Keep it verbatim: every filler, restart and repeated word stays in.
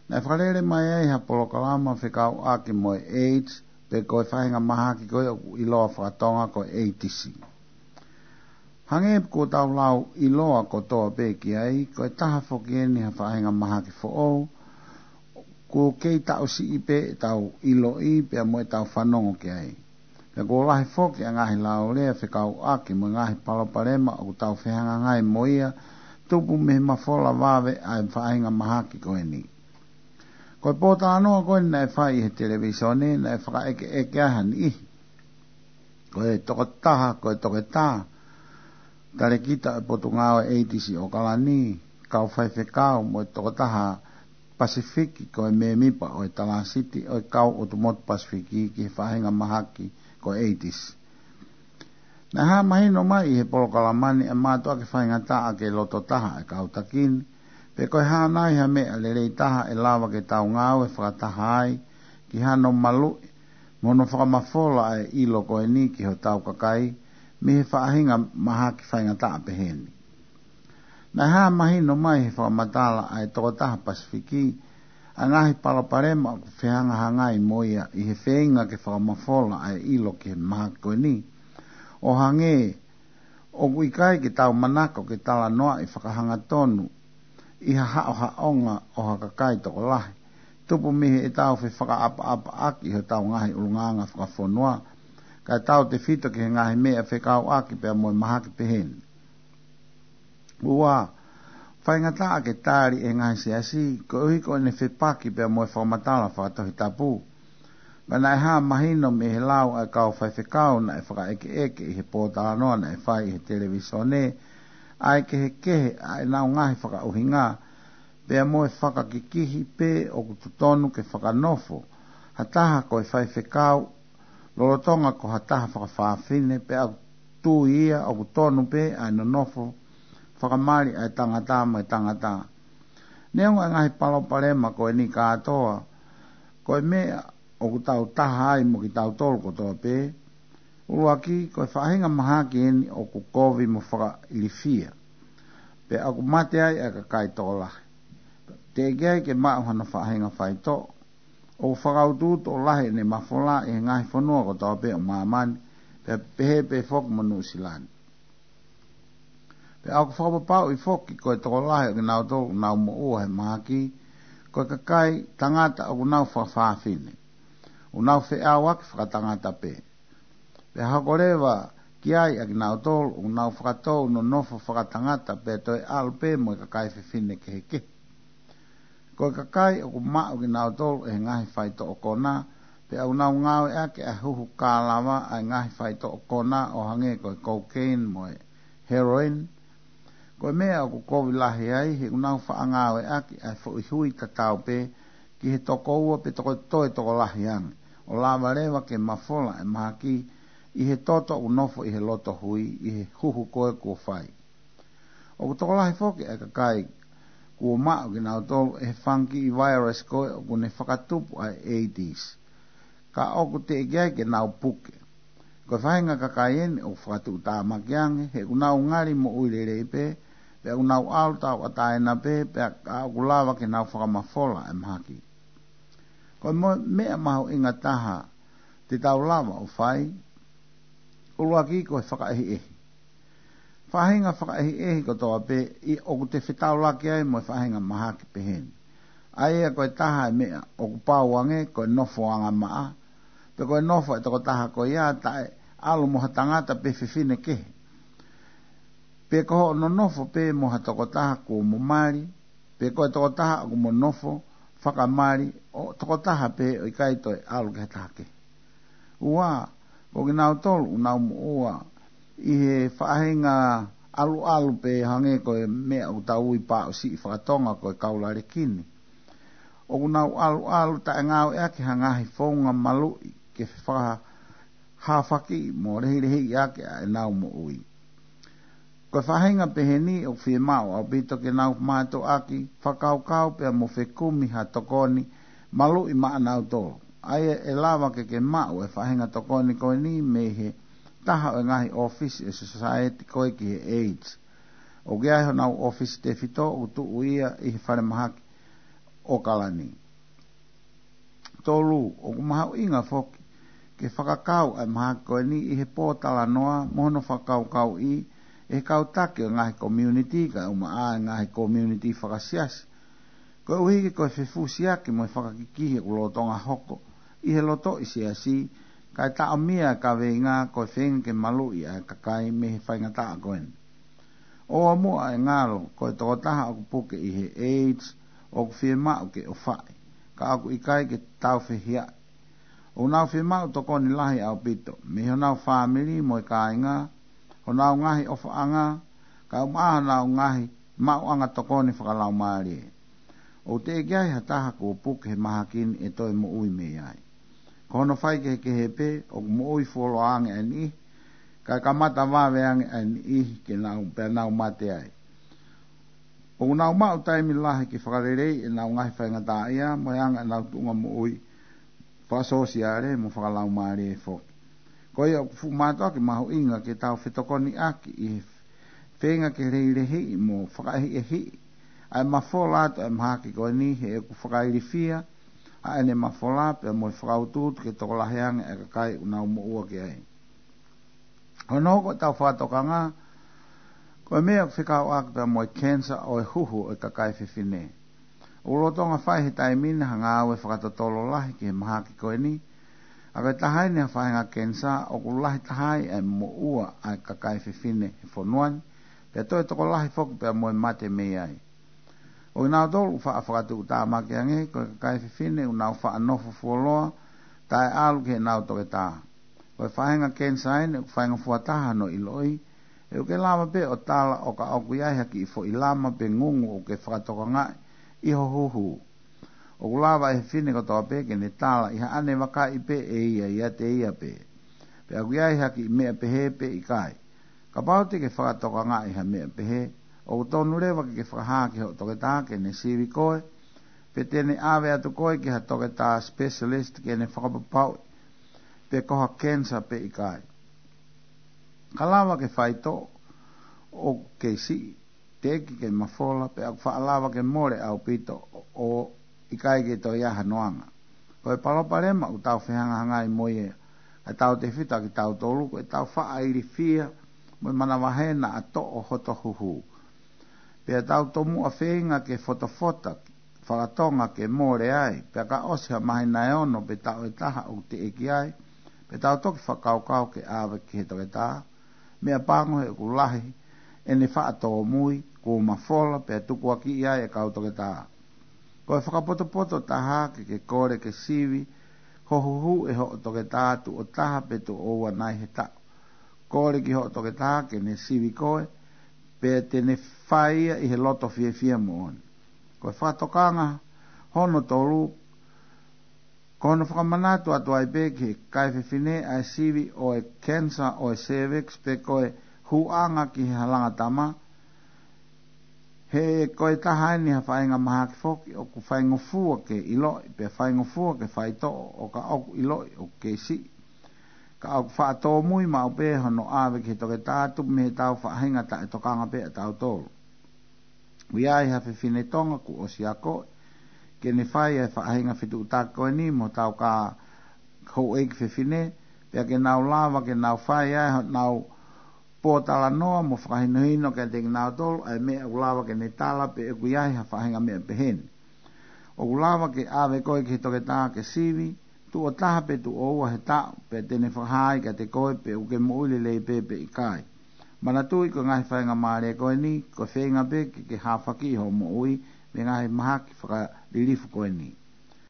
Naʻe fakalele mai ai ha polokalama fekauʻaki mo e AIDS, pe ko e faʻahinga mahaki ko ē ʻoku ʻiloa fakatonga ko e AIDS. Hangē kuo tau lau ʻiloa kotoa pē ki ai, ko e taha foki eni ha faʻahinga mahaki foʻou, kuo kei taʻu siʻi pē ʻetau ʻiloʻi pea mo ʻetau fanongo ki ai. Pea kuo lahi foki ʻa e ngaahi laulea fekauʻaki mo e ngaahi palopalema ʻoku tau fehangahangai mo ia, tupu mei he mafola vave ʻa e faʻahinga mahaki ko eni. Ko e pōtalanoa ko eni naʻe fai ʻi he televīsone, naʻe fakaʻekeʻeke ai ha niʻihi. Ko e tokotaha, ko e toketā talēkita ʻo e Potungāue AIDS ʻi ʻOkalani, kau faifekau mo e tokotaha Pasifiki, ko e mēmipa ʻo e Talāsiti ʻo e kau ʻOtu Motu Pasifiki ki he faʻahinga mahaki ko e AIDS. Naʻe hā mahino mai ʻi he polokalama ni ʻa e mātuʻaki faingataʻa ke loto taha ʻa e kau taki ni, pe ko e hā nai ha meʻa lelei taha ʻe lava ke tau ngāue fakataha ai ki hano maluʻi mo hono fakamafola ʻa e ʻilo ko eni ki hotau kakai mei he faʻahinga mahaki faingataʻa pehē ni. Naʻe hā mahino mai he fakamatala ʻa e tokotaha Pasifiki ʻa e ngaahi palopalema ʻoku fehangahangai mo ia ʻi he feinga ke fakamafola ʻa e ʻilo ki he mahaki ko eni. ʻO hangē ʻoku ʻikai ke tau manako ke talanoaʻi fakahangatonu ʻi ha haʻohaʻonga ʻo ha kakai tokolahi, tupu mei heʻetau fefakaʻapaʻapaʻaki ʻi hotau ngaahi ʻulungaanga fakafonua, kae tautefito ki he ngaahi meʻa fekauʻaki pea mo e mahaki pehē ni. Ua, faingataʻa ke tali ʻe he ngaahi siasi, koeʻuhi ko ʻene fepaki pea mo e fakamatala fakatohitapu. Ka naʻe hā mahino mei he lau ʻa e kau faifekau naʻe fakaʻekeʻeke ʻi he pōtalanoa naʻe fai ʻi he televīsone, ʻa e kehekehe ʻa ʻenau ngaahi fakaʻuhinga, pea mo e fakakikihi pe ʻoku totonu ke fakanofo ha taha ko e faifekau lolotonga ko ha taha fakafafine, pea ʻoku tui ia ʻoku tonu pē ʻa e nonofo fakamali ʻa e tangata mo e tangata. Neongo ʻa e ngaahi palopalema ko eni kātoa, ko e meʻa ʻoku tau taha ai mo kitautolu kotoa pē. ʻUluaki, ko e faʻahinga mahaki eni ʻoku kovi mo fakailifia, pea ʻoku mate ai ʻa e kakai tokolahi. Teʻeki ai ke maʻu hano faʻahinga faitoʻo. ʻOku fakautuutu ʻo lahi ʻene mafola ʻi he ngaahi fonua kotoa pē ʻo māmani, pea pehē pē foki mo Nuʻusila ni. Pea ʻoku fakapapauʻi foki ko e tokolahi ʻo kinautolu ʻoku nau moʻua he mahaki, ko e kakai tangata ʻoku nau fakafafine, ʻoku nau feʻauaki fakatangata pē. Pea hoko leva ki ai ʻa kinautolu ʻoku nau fakatou nonofo fakatangata pea toe ʻalu pē mo e kakai fefine kehekehe. Ko e kakai ʻoku maʻu kinautolu ʻe he ngaahi faitoʻo konā, pea ʻoku nau ngāueʻaki ʻa e huhu kālava ʻa e ngaahi faitoʻo konā ʻo hangē ko e cocaine mo e heroin. Ko e meʻa ʻoku kovi lahi ai, he ʻoku nau faʻa ngāueʻaki ʻa e foʻi hui tatau pē ki he toko ua pe toko toe tokolahi ange, ʻo lava leva ke mafola ʻa e mahaki ʻi he toto ʻoku nofo ʻi he loto hui ʻi he huhu ko ē kuo fai. ʻOku tokolahi foki ʻa e kakai kuo maʻu kinautolu ʻe he fungi virus ko ē ʻoku ne fakatupu ʻa e AIDS, ka ʻoku teʻeki ai ke nau puke. Ko e faʻahinga kakai eni ʻoku fakatuʻutāmaki ange, he ʻoku nau ngali moʻui lelei pē, pea ʻoku nau ʻalu tauʻatāina pē, pea ka ʻoku lava ke nau fakamafola ʻa e mahaki. Ko e mo-, meʻa mahuʻinga taha te tau lava ʻo fai, ʻuluaki ko e fakaʻehiʻehi. Faʻahinga fakaʻehiʻehi kotoa pē ʻi ʻoku te fetaulaki ai mo e faʻahinga mahaki pehē ni. ʻA ia ko e taha e meʻa ʻoku pau ange ko e nofo angamaʻa, pe ko e nofo e tokotaha ko ia taʻe ʻalu mo ha tangata pe fefine kehe. Pe ko hoʻo nonofo pē mo ha tokotaha kuo mo mali, pe ko e tokotaha ʻoku mo nofo fakamali ʻo tokotaha pē ʻo ʻikai toe ʻalu ki ha taha kehe. Ua, ko kinautolu ʻoku nau moʻua ʻi he faʻahinga ʻaluʻalu pē hangē ko e meʻa ʻoku tau ui pāʻusiʻi fakatonga ko e kaulalekini. ʻOku nau ʻaluʻalu taʻe ngāueʻaki ha ngaahi founga maluʻi ke fakahāfaki mo lehilehiʻi ake ʻa ʻenau moʻui. Ko e faʻahinga pehē ni ʻoku fiemaʻu ʻaupito ke nau mātuʻaki fakakaukau pea mo fekumi ha tokoni maluʻi maʻanautolu. ʻA ia ʻe lava ke ke maʻu e faʻahinga tokoni ko eni mei he taha ʻo e ngaahi ʻōfisi ʻo e sosaieti ko ē ki he AIDS. ʻOku ʻi ai honau ʻōfisi tefito ʻoku tuʻu ia ʻi he falemahaki ʻAokalani. Tolu, ʻoku mahuʻinga foki ke fakakau ʻa e mahaki ko eni ʻi he pōtalanoa mo hono fakakaukauʻi ʻe he kau taki ʻo e ngaahi community kae ʻumaʻā e ngaahi community fakasiasi. Koeʻuhi ke ko e fefusiaki mo e fakakikihi ʻoku lolotonga hoko ʻi he lotoʻi siasi, kae taʻomia e kaveinga ko e feinga ke maluʻi ʻa e kakai mei he faingataʻa ko eni. ʻOua muʻa ʻe ngalo ko e tokotaha ʻoku puke ʻi he AIDS ʻoku fiemaʻu ke ʻofaʻi, ka ʻoku ʻikai ke tāufehiʻaʻi. ʻOku nau fiemaʻu tokoni lahi ʻaupito mei honau fāmili mo e kāinga, honau ngaahi ʻofaʻanga, kae ʻumaʻā honau ngaahi maʻuʻanga tokoni fakalaumālie. ʻOku teʻeki ai ha taha kuo puke he mahaki ni ʻe toe moʻui mei ai. Ko hono faikehekehe pē, ʻoku moʻui fuoloa ange ʻa e niʻihi, kae kamata vave ange ʻa e niʻihi ke nau, pea nau mate ai. ʻOku nau maʻu taimi lahi ke fakaleleiʻi ʻenau ngaahi faingataʻaʻia mo e anga ʻenau tuʻunga moʻui fakasōsiale mo fakalaumālie foki. Ko ia ʻoku fuʻu mātuʻaki mahuʻinga ke tau fetokoniʻaki ʻi he feinga ke lehilehiʻi mo fakaʻehiʻehiʻi ʻa e mafola atu ʻa e mahaki ko eni, he ʻoku fakailifia ʻa ʻene mafola pea mo e fakautuutu ke tokolahi ange ʻa e kakai ʻoku nau moʻua ki ai. Hono hoko ʻetau fakatokanga, ko e meʻa ʻoku fekauʻaki pea mo e cancer ʻo e huhu ʻo e kakai fefine. ʻOku lolotonga fai he taimi ni ha ngāue fakatotolo lahi ki he mahaki ko eni, ʻa ko e taha eni ha faʻahinga cancer ʻoku lahi taha ai ʻa e moʻua ʻa e kakai fefine he fonua ni, pea toe tokolahi foki pea mo e mate mei ai. ʻOku nau tolu faʻa fakatuʻutāmaki ange, ko e kakai fefine ʻoku nau faʻa nofo fuoloa, taʻeʻalu ki heʻenau toketā. Ko e faʻahinga cancer eni ʻoku faingofua taha hono ʻiloʻi, he ʻoku ke lava pē ʻo tala ʻo ka ʻoku ʻi ai ha kiʻi foʻi lama pe ngungu ʻoku ke fakatokangaʻi ʻi ho huhu. ʻOku lava ʻe he fefine kotoa pē ke ne tala ʻi haʻane vakaʻi pē ʻe ia ʻiate ia pē pe ʻoku ʻi ai ha kiʻi meʻa pehē pe ʻikai. Kapau te ke fakatokangaʻi ha meʻa pehē, ʻoku tonu leva ke ke fakahā ki hoʻo toketā ke ne sivi koe, pe te ne ʻave atu koe ki ha toketā specialist ke ne fakapapauʻi pe ko ha cancer pe ʻikai. Ka lava ke faitoʻo ʻoku kei siʻi, teʻeki ke mafola, pea ʻoku faʻa lava ke mole ʻaupito ʻo ʻikai ke toe ʻi ai hano anga. Ko e palopalema ʻoku tau fehangahangai mo ia, ʻa e tautefito ʻa kitautolu, ko ʻetau faʻa ilifia mo e manavahē naʻa toʻo hoto huhu. Pea tau tomuʻa feinga ke fotofota fakatonga ke mole ai, pea ka ʻosi ha māhina ʻe ono pe taʻu ʻe taha ʻoku teʻeki ai, pea tau toki fakakaukau ke ʻave ki he toketā. Meʻapango he ʻoku lahi ʻene faʻa tōmui, kuo mafola, pea tukuakiʻi ai e kau toketā. Ko e fakapotopoto taha ke ke kole ke sivi ho huhu ʻe hoʻo toketā tuʻo taha pe tuʻo ua nai he taʻu. Kole ki hoʻo toketā ke ne sivi koe, pea te ne fai ia ʻi he loto fiefia moʻoni. Ko e fakatokanga hono tolu, ko hono fakamanatu atu ai pē ki he kakai fefine ʻa e sivi ʻo e cancer ʻo e cervix pe ko e hūʻanga ki he halanga tama, he ko e taha eni ha faʻahinga mahaki foki ʻoku faingofua ke ʻiloʻi, pea faingofua ke faitoʻo ʻo ka ʻoku ʻiloʻi ʻoku kei siʻi. Ka ʻoku faʻa tōmui maʻu pē hono ʻave ki he toketā tupu mei heʻetau faʻahinga taʻetokanga pē ʻatautolu. ʻOku ʻi ai ha fefine Tonga kuo ʻosi akoʻi ke ne fai ʻa e faʻahinga fetuʻutaki ko eni mo hotau kā houʻeiki fefine, pea ke nau lava ke nau fai ai honau pōtalanoa mo fakahinohino kiate kinautolu ʻa e meʻa ʻoku lava ke ne tala pe ʻoku ʻi ai ha faʻahinga meʻa pehē ni. ʻOku lava ke ʻave koe ki he toketā ke sivi, tuʻo taha pe tuʻo ua he taʻu, pea te ne fakahā ai kiate koe pe ʻoku ke moʻui lelei pē pe ʻikai. Manatuʻi ko e ngaahi faingamālie ko eni, ko e feinga pē ke ke hāfakiʻi hoʻo moʻui mei he ngaahi mahaki fakalilifu ko eni.